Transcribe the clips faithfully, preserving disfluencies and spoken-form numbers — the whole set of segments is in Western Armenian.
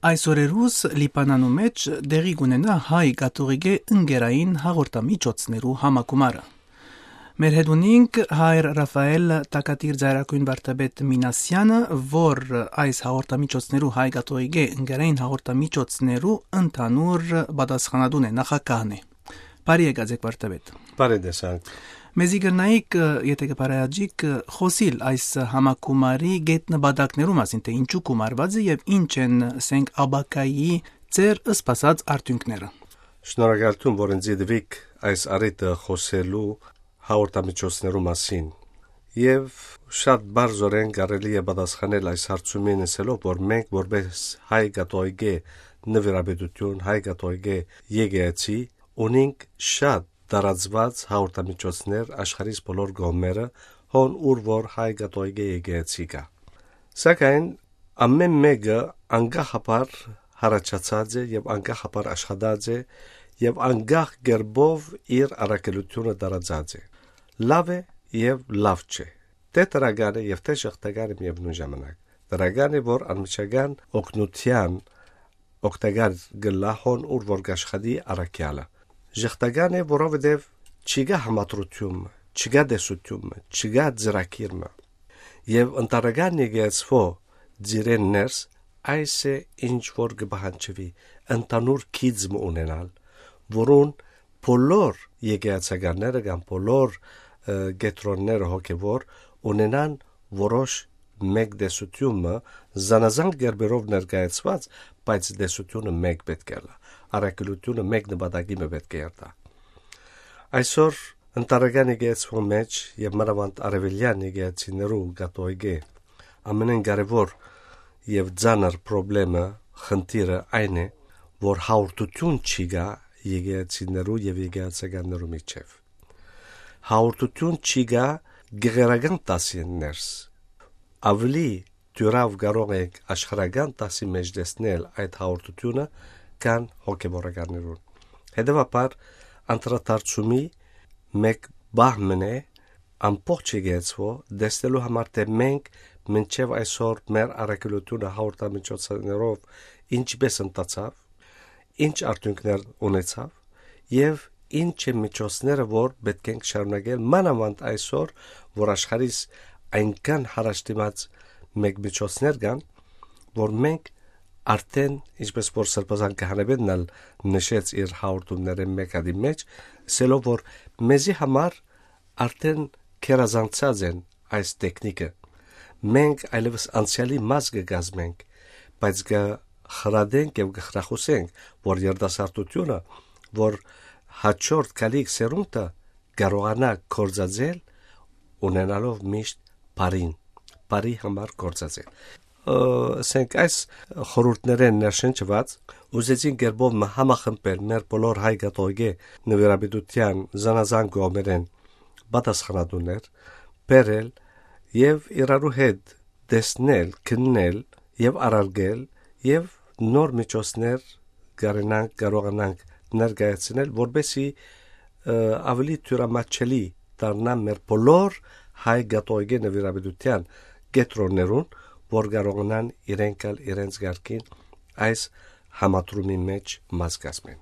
Այս օրերուս Լիբանանու մէջ տեղի կունենայ հայ կաթողիկէ ընկերային հաղորդամիջոցներու համագումարը։ Մեր հետ ունինք հայր Ռաֆայել Տակատիր Ծայրագոյն վարդապետ Մինասեանը, որ այս հաղորդամիջոցներու, հայ կաթողիկէ ընկերային հաղորդամիջոցներու ընդհանուր պատասխանատուն է, նախագահն է։ Բարի եկած եք, վարդապետ։ Բարի տեսանք։ Մեզի կրնայիք, ը, եթէ կը բարայաճիք, ը, խօսիլ այս համագումարի գետնպատակներու մասին, թէ ինչու գումարուած է եւ ինչ են, ասենք, ապագայի ձեր սպասած արդիւնքները։ Շնորհակալութիւն, որ ինձ դիտուիք այս առիթը խօսելու հաղորդամիջոցներու մասին։ Եւ շատ բարձրորեն կարելի է պատասխանել այս հարցումին, ասելով, որ մենք, որպես հայ կաթողիկէ նվիրապետութիւն, հայ կաթողիկէ եկեղեցի, ունինք շատ տարածուած հաղորդամիջոցներ աշխարհիս բոլոր կողմերը, հոն ուր որ հայ կաթողիկէ եկեղեցի կայ։ Սակայն ամէն մէկը անկախաբար յառաջացած է եւ անկախաբար աշխատած է եւ անկախ կերպով իր առաքելութիւնը տարածած է։ Լաւ է եւ լաւ չէ, թէ դրական է եւ թէ ժխտական է միեւնոյն ժամանակ։ Դրական է, որ անմիջական օգնութեան օգտակար կ'ըլլայ հոն ուր որ կ'աշխատի առաքեալը։ Ժխտական է, որովհետեւ չկայ համադրութիւն մը, չկայ տեսութիւն մը, չկայ ծրագիր մը։ Եւ ընտանեկան եկեղեցւոյ ծիրէն ներս այս է, ինչ որ կը պահանջուի, ընդհանուր գիծ մը ունենալ, որուն բոլոր եկեղեցականները կամ բոլոր, ը, կեդրոնները հոգեւոր ունենան որոշ մէկ տեսութիւն մը, զանազան կերպերով ներկայացուած, բայց տեսութիւնը մէկ պէտք է ըլլայ, առաքելութիւնը մէկ նպատակի մը պէտք է երթայ։ Այսօր ընտանեկան եկեղեցւոյ մէջ եւ մանաւանդ արեւելեան եկեղեցիներու կաթողիկէ ամենէն կարեւոր եւ ծանր պրոբլեմը, խնդիրը այն է, որ հաղորդութիւն չի գայ եկեղեցիներու եւ եկեղեցականներու միջեւ։ Հաղորդութիւն չի գայ գեղերական դասին ներս։ Աւելի դիւրաւ կարող ենք աշխարհական դասի մէջ տեսնել այդ հաղորդութիւնը, քան հոգեվորականներուն։ Հետեւաբար, անդրադարձումի մէկ պահ մըն է, ամբողջ եկեղեցւոյ տեսնելու համար, թէ մենք մինչեւ այսօր մեր առաքելութիւնը հաղորդամիջոցներով ինչպէս ընթացաւ, ինչ արդիւնքներ ունեցաւ եւ ինչ են միջոցները, որ պէտք ենք շարունակել, մանաւանդ այսօր, որ աշխարհիս այնքան յառաջդիմած մէկ միջոցներ կան, որ մենք արդեն, ինչպես որ Սրբազան Քահանայապետն ալ նշեց իր հաղորդումներէն մէկ հատի մէջ, ասելով, որ մեզի համար արդեն գերազանցած են այս տեխնիկը։ Մենք այլեւս անցեալի մաս կը կազմենք, բայց կը խրատենք եւ կը խրախուսենք, որ երիտասարդությունը, որ հաջորդ գալիք սերունդը կարողանայ գործածել, ունենալով միշտ բարին, բարի համար գործածել։ Ը, ասենք, այս խորհուրդներէն ներշնչուած, ուզեցին կերպով մը համախմբել մեր բոլոր հայ կաթողիկէ նվիրապետութեան զանազան կողմերէն պատասխանատուներ, բերել եւ իրարու հետ տեսնել, քննել եւ առարկել եւ նոր միջոցներ կարենանք, կարողանանք ներկայացնել, որպեսզի, ը, ավելի թյուրամատչելի դառնան մեր բոլոր հայ կաթողիկէ նվիրապետութեան կեդրոններուն, որ կարողանան իրենք ալ իրենց կարգին այս համադրումի մէջ մաս կազմեն։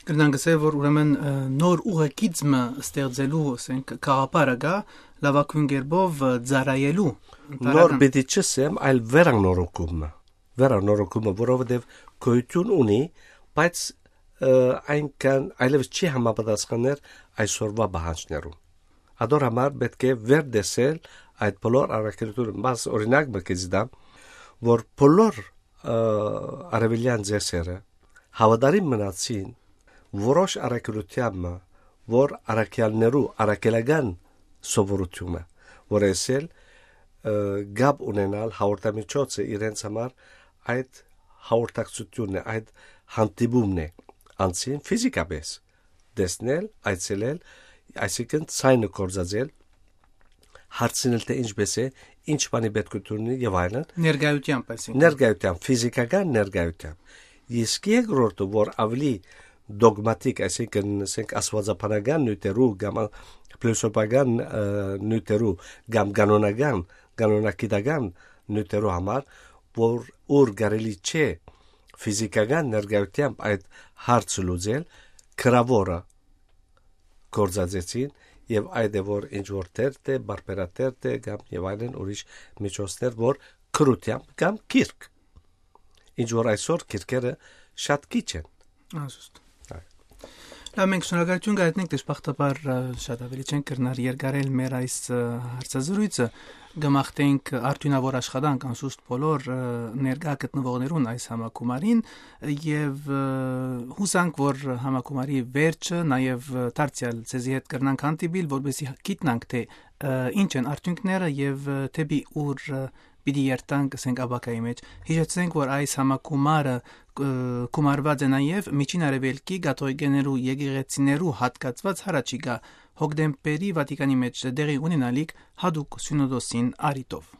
Կրնանք ասել, որ ուրեմն, ը, նոր ուղեգիծ մը ստեղծելու, ասենք, գաղափարը կայ, լաւագոյն կերպով, ը, ծառայելու Նոր ընտանեկան պիտի չըսեմ, այլ վերանորոգումը, վերանորոգումը, որովհետեւ գոյութիւն ունի, բայց, ը, այնքան այլեւս չի համապատասխաներ այսօրվա պահանջներուն։ Ադոր համար պէտք է վերտեսել այդ բոլոր առաքելութիւնը։ Մաս օրինակ մը կը զիդամ, որ բոլոր, ը, արեւելեան ծեսերը հաւատարիմ մնացին որոշ առաքելութեան մը, որ առաքեալներու առաքելական սովորութիւնը, որ էսել, ը, կապ ունենալ հաղորդամիջոցը իրենց համար այդ հաղորդակցութիւնն է, այդ հանդիպումն է, անցին ֆիզիկապես տեսնել, այցելել, այսինքն՝ ցայնը գործածել, հարցնել, թէ ինչպես է, ինչ բանի պետք է ունի եւ այլն։ Ներկայությամբ, այսինքն։ Ներկայությամբ, ֆիզիկական ներկայությամբ։ Իսկ երկրորդը, որ ավելի դոգմատիկ, այսինքն, ասենք, աստուածաբանական նիւթերու կամ փիլիսոփական, ը, նիւթերու կամ կանոնական, կանոնագիտական նիւթերու համար, որ ուր կարելի չէ Ֆիզիկական ներկայութեամբ այդ հարցը լուծել գրաւորը գործածեցին, եւ այդ է որ ինչ որ թերթ է, բարբերաթերթ է կամ եւ այլն ուրիշ միջոցներ, որ գրությամբ կամ գիրք, ինչ որ այսօր գիրքերը շատ քիչ են։ Անսուստ։ Այ։ Լավ, մենք շնորհակալություն կայտնենք, դժբախտաբար, ը, շատ ավելի չենք կրնար երկարել մեր այս, ը, հարցազրույցը։ Կմաղթենք արդյունաւոր աշխատանք անսուստ բոլոր, ը, ներկայ գտնուողներուն այս համագումարին, ը, եւ, ը, յուսանք, որ համագումարի վերջը նաեւ, ը, դարձեալ ձեզի հետ կրնանք հանդիպիլ, որպեսզի գիտնանք, թե, ը, ինչ են արդյունքները եւ, ը, դէպի ուր, ը, պիտի երթանք, ասենք, ապագայի մեջ։ Յիշեցնենք, որ այս համագումարը, ը, գումարուած է նաեւ Միջին Արեւելքի կաթողիկեներու եկեղեցիներու հատկացուած հառաչիկա հոկտեմբերի Վատիկանի մեջ տեղի ունենալիք յատուկ սիւնոդոսին առիթով։